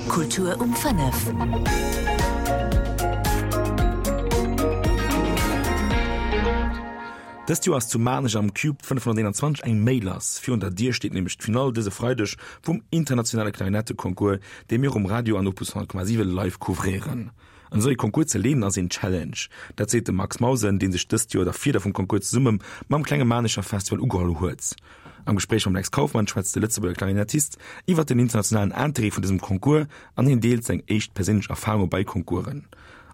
Kultur um 5. Dëst Joer ass zu Maarnech am Cube 521 eng Méi lass. Virun der Dier steet nämlech d'Finall dëse Freideg vum internationale Klarinetteconcours, dee mir um Radio an Opus 100,7 live couvréieren. An esou ee Concours ze leeden ass een Challenge. Dat seet de Max Mausen, dee sech dëst Joer der Fieder vum Concours zesumme mam Klenge Maarnecher Festival ugeholl huet. Am Gespréich mam Lex Kauffmann schwätzt de Lëtzebuerger Klarinettist iwwer den internationalen Interêt vun dësem Concours an hien deelt seng éischt perséinlech Erfarunge bei Concoursen.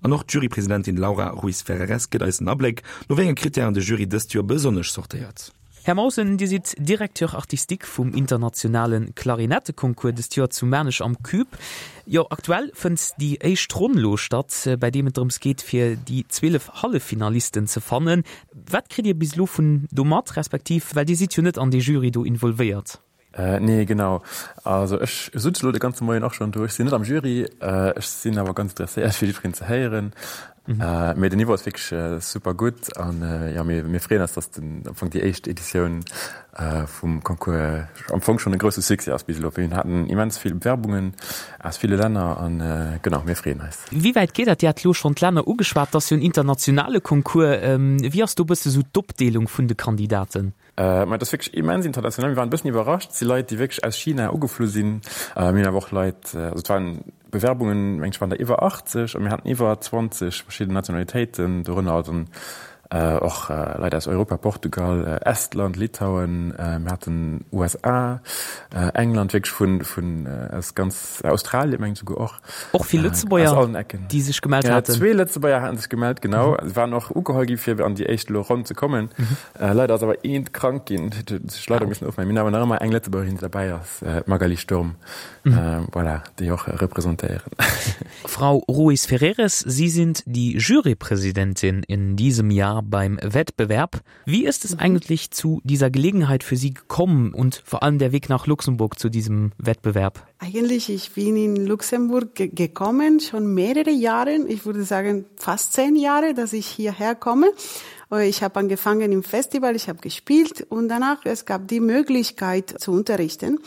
An och d'Jurypresidentin Laura Ruiz Ferreres gëtt eis en Abléck, no wéi enge Krittären de Jury dëst Joer besonnesch sortéiert. Här Mausen, Dir sidd Directeur artistique vum internationale Klarinetteconcours dëst Joer zu Maarnech am Cube. Jo, aktuell fënnt déi éischt Ronn lo statt, bäi deem et drëms geet, fir déi 12 Halleffinalisten ze fannen. Wat kritt Dir bis elo vun do mat, respektiv well Dir sidd jo net an dee Jury do involvéiert? Nee, genau. Also ech sutz elo de ganze Moien och schonn do. Ech sinn net am Jury, ech sinn awer ganz interesséiert fir jiddwereen ze héieren. Mee den Niveau ass wierklech super gutt an jo, mir mir freeën eis, datt den am Fong déi éischt Editioun vum Concours am Fong schonn e grousse Succès ass bis elo. Mir haten immens vill Bewerbungen aus ville Länner an genau, mir freeën eis. Wéi wäit geet dat? Dir hat elo schonn d'Länner ugeschwat, et ass jo en internationale Concours. Wéi ass do e bësse sou d'Opdeelung vun de Kandidaten? Mä et ass wierklech immens international. Mir waren e bëssen iwwerrascht. Et si Leit, déi wierklech aus China ugeflu sinn. Mir hunn awer och Leit, also et waren Bewerbungen, meng ech, waren der iwwer 80 a mir haten iwwer 20 verschidden Nationalitéiten, dorënner dann och Leit aus Europa, Portugal, Estland, Litauen, mir haten USA, England, wierklech vun, vun aus ganz Australien, meng ech souguer och. Och vill Lëtzebuerger, déi sech gemellt haten. Zwee Lëtzebuerger haten sech gemellt, genau. Se waren och ugeholl gi fir an déi éischt elo Ronn ze kommen. Leider ass awer eent krank ginn, huet sech leider missen ofmellen. Mir hunn awer nach ëmmer eng Lëtzebuergerin, déi derbäi ass, d'Magali Sturm, voilà, déi och representéieren. Frau Ruiz Ferreres, Sie sind die Jurypräsidentin in diesem Jahr beim Wettbewerb. Wie ist es eigentlich zu dieser Gelegenheit für Sie gekommen und vor allem der Weg nach Luxemburg zu diesem Wettbewerb? Eigentlich, ich bin in Luxemburg gekommen, schon mehrere Jahre, ich würde sagen fast zehn Jahre, dass ich hierher komme. Ich habe angefangen im Festival, ich habe gespielt und danach es gab die Möglichkeit zu unterrichten.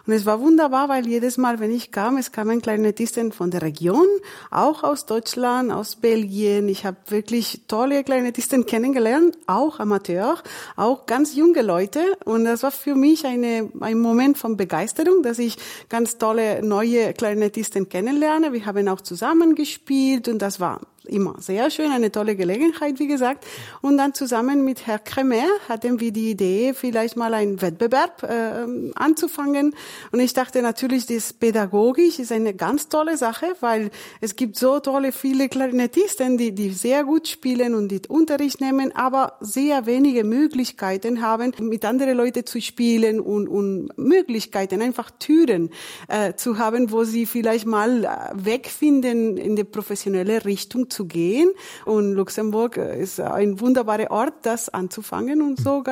Und es war wunderbar, weil jedes Mal, wenn ich kam, es kamen Klarinettisten von der Region, auch aus Deutschland, aus Belgien. Ich habe wirklich tolle Klarinettisten kennengelernt, auch Amateur, auch ganz junge Leute. Und das war für mich eine, ein Moment von Begeisterung, dass ich ganz tolle neue Klarinettisten kennenlerne. Wir haben auch zusammen gespielt und das war immer sehr schön, eine tolle Gelegenheit, wie gesagt. Und dann zusammen mit Herr Kremer hatten wir die Idee, vielleicht mal einen Wettbewerb äh, anzufangen. Und ich dachte natürlich, das pädagogisch ist eine ganz tolle Sache, weil es gibt so tolle viele Klarinettisten, die, die sehr gut spielen und die Unterricht nehmen, aber sehr wenige Möglichkeiten haben, mit anderen Leuten zu spielen und, und Möglichkeiten, einfach Türen äh, zu haben, wo sie vielleicht mal äh, wegfinden in die professionelle Richtung zu gehen. Und Luxemburg äh, ist ein wunderbarer Ort, das anzufangen. Und so,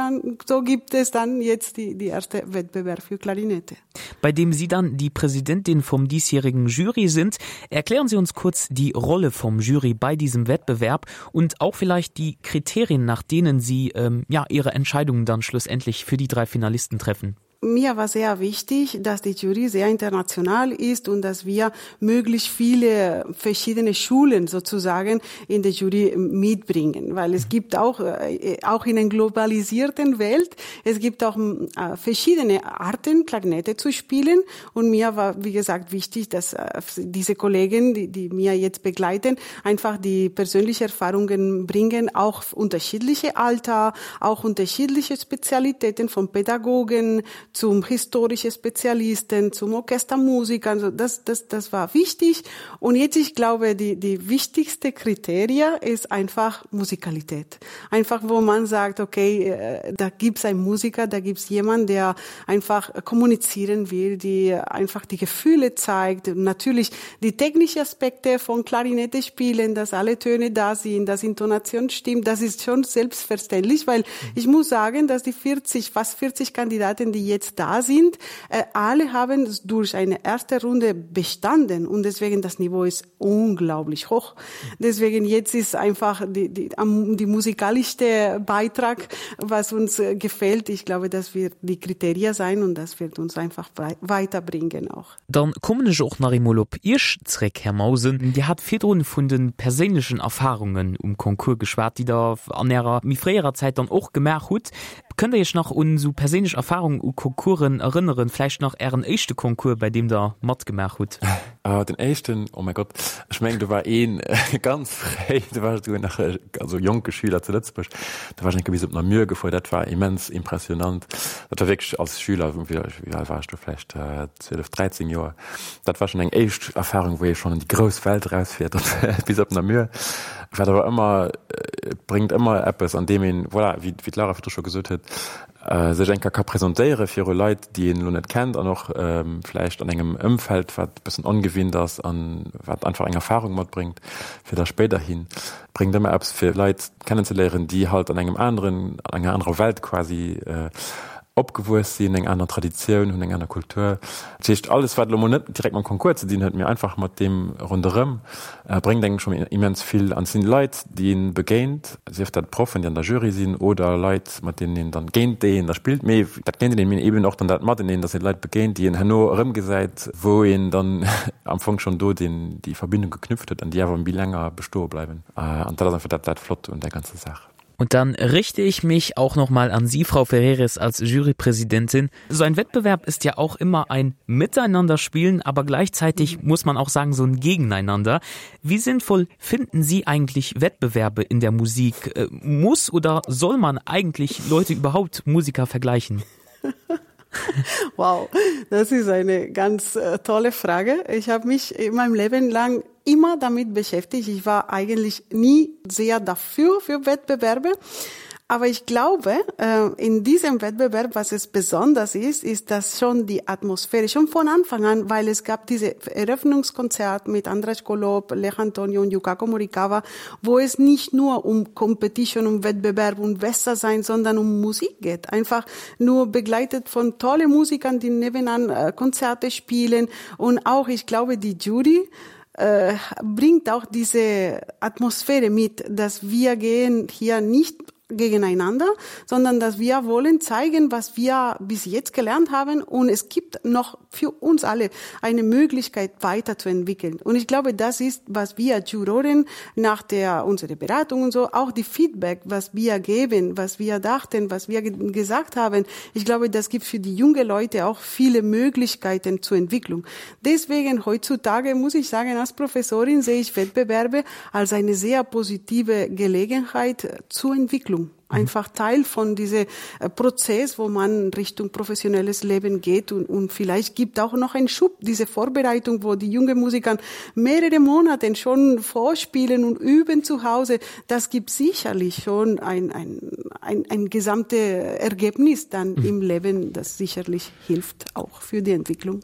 so gibt es dann jetzt die, die erste Wettbewerb für Klarinette. Bei dem Sie dann die Präsidentin vom diesjährigen Jury sind, erklären Sie uns kurz die Rolle vom Jury bei diesem Wettbewerb und auch vielleicht die Kriterien, nach denen Sie ähm, ja, Ihre Entscheidungen dann schlussendlich für die drei Finalisten treffen. Mir war sehr wichtig, dass die Jury sehr international ist und dass wir möglichst viele verschiedene Schulen sozusagen in der Jury mitbringen, weil es gibt auch, äh, auch in einer globalisierten Welt, es gibt auch äh, verschiedene Arten, Klarinette zu spielen. Und mir war, wie gesagt, wichtig, dass äh, diese Kollegen, die, die mir jetzt begleiten, einfach die persönlichen Erfahrungen bringen, auch unterschiedliche Alter, auch unterschiedliche Spezialitäten von Pädagogen, zum historischen Spezialisten, zum Orchestermusiker. Also das, das, das war wichtig. Und jetzt, ich glaube, die, die wichtigste Kriterie ist einfach Musikalität. Einfach, wo man sagt, okay, äh, da gibt's einen Musiker, da gibt's jemanden, der einfach kommunizieren will, die einfach die Gefühle zeigt. Natürlich die technischen Aspekte von Klarinette spielen, dass alle Töne da sind, dass Intonation stimmt, das ist schon selbstverständlich, weil ich muss sagen, dass die 40, fast 40 Kandidaten, die jetzt. jetzt da sind, äh, alle haben durch eine erste Runde bestanden und deswegen das Niveau ist unglaublich hoch. Deswegen jetzt ist einfach die, die, die musikalischste Beitrag, was uns äh, gefällt. Ich glaube, das wird die Kriterien sein und das wird uns einfach weiterbringen auch. Dann kommen ech och nach eemol op Iech zréck, Här Mausen. Dir hat virdrun vun de perséinlechen Erfahrungen um Concours geschwat, déi Der an Ärer méi fréierer Zäit dann och gemaach hutt. Kënnt Der Iech nach un esou perséinlech Erfahrungen u Concoursen erënneren? Vläicht nach Ären éischte Concours, bäi deem Der matgemaach hutt? Ah, den éischten, oh mäi Gott, ech mengen do war een ganz fréi, do war ech esouguer nach also jonke Schüler zu Lëtzebuerg, do war ech eng Kéier bis op Namur gefuer, dat war immens impressionant. Dat war wierklech als Schüler, wéi al war ech do, vläicht 12, 13 Joer. Dat war schonn eng éischt Erfahrung, wou ee schonn an déi grouss Welt erausfiert, bis op Namur. Wat awer ëmmer, et bréngt ëmmer eppes, an deem een, voilà, wéi d'Laura virdru scho gesot huet, sech eng Kéier ka presentéiere viru Leit, déi een elo net kennt an och vläicht an engem Ëmfeld, wat e bëssen ongewinnt ass an wat einfach eng Erfahrung matbréngt fir da spéiderhin. Bréngt ëmmer eppes fir Leit kennenzeléieren, déi halt an engem aneren, an enger anerer Welt quasi opgewuess sinn, eng aner Traditioun hunn, eng aner Kultur. Dat heescht, alles wat elo mol net direkt mam Concours ze dinn huet, mee einfach mat deem ronderëm, bréngt engem schonn immens vill. An et sinn Leit, déi een begéint, sief dat Proffen, déi an der Jury sinn, oder Leit, mat deenen een dann, géint déi een da spillt, mee dat géinteneen, mee eben och dann dat Mateneen, dass ee Leit begéint, déi een herno erëmgesäit, wou een dann am Fong schonn do deen, déi Verbindung geknüpft huet an déi awer méi länger bestoe bleiwen. An dat ass einfach dat, dat Flott un där ganzer Saach. Und dann richte ich mich auch noch mal an Sie, Frau Ferreres, als Jurypräsidentin. So ein Wettbewerb ist ja auch immer ein Miteinanderspielen, aber gleichzeitig muss man auch sagen, so ein Gegeneinander. Wie sinnvoll finden Sie eigentlich Wettbewerbe in der Musik? Äh, muss oder soll man eigentlich Leute überhaupt Musiker vergleichen? Wow, das ist eine ganz äh, tolle Frage. Ich habe mich in meinem Leben lang immer damit beschäftigt. Ich war eigentlich nie sehr dafür für Wettbewerbe. Aber ich glaube, äh, in diesem Wettbewerb, was es besonders ist, ist, dass schon die Atmosphäre schon von Anfang an, weil es gab diese Eröffnungskonzert mit Andras Kolob, Lech Antonio und Yukako Morikawa, wo es nicht nur um Competition, um Wettbewerb und besser sein, sondern um Musik geht. Einfach nur begleitet von tolle Musikern, die nebenan äh, Konzerte spielen und auch, ich glaube, die Jury, äh, bringt auch diese Atmosphäre mit, dass wir gehen hier nicht gegeneinander, sondern dass wir wollen zeigen, was wir bis jetzt gelernt haben und es gibt noch für uns alle eine Möglichkeit weiterzuentwickeln. Und ich glaube, das ist, was wir Juroren nach der unsere Beratung und so auch die Feedback, was wir geben, was wir dachten, was wir gesagt haben. Ich glaube, das gibt für die junge Leute auch viele Möglichkeiten zur Entwicklung. Deswegen heutzutage muss ich sagen, als Professorin sehe ich Wettbewerbe als eine sehr positive Gelegenheit zur Entwicklung. Mhm. Einfach Teil von diesem äh, Prozess, wo man Richtung professionelles Leben geht und, und vielleicht gibt auch noch einen Schub, diese Vorbereitung, wo die jungen Musiker mehrere Monate schon vorspielen und üben zu Hause. Das gibt sicherlich schon ein, ein, ein, ein gesamtes Ergebnis dann mhm. im Leben, das sicherlich hilft auch für die Entwicklung.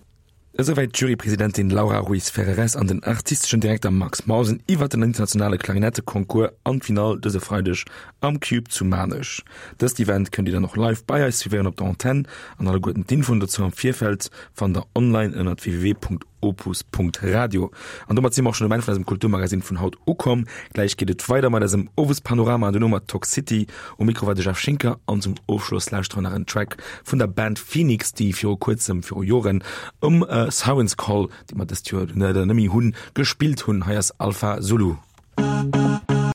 Esouwäit d'Jurypresidentin Laura Ruiz Ferreres an den artisteschen Direkter Max Mausen iwwert den internationale Klarinetteconcours an d'Finall dëse Freideg am Cube zu Maarnech. Dëst Event kënnt Dir dann och live bei eis suivéieren op der Antenn an alleguerten d'Infoen dozou am Virfeld fannt der online ënnert www.opus.radio. An domat si mer och schonn um Enn vun eisem Kulturmagazin vun haut ukomm. Gläich geet et weider mat eisem Owespanorama an duerno mat Talk City. Um Mikro war de Jeff Schinker an zum Ofschloss lauschtere mer nach en Track vun der Band Phoenix, déi viru kuerzem, viru Joren um Siren's Call, déi mer dëst Joer leider net méi hunn, gespillt hunn. Hei ass Alpha Zulu.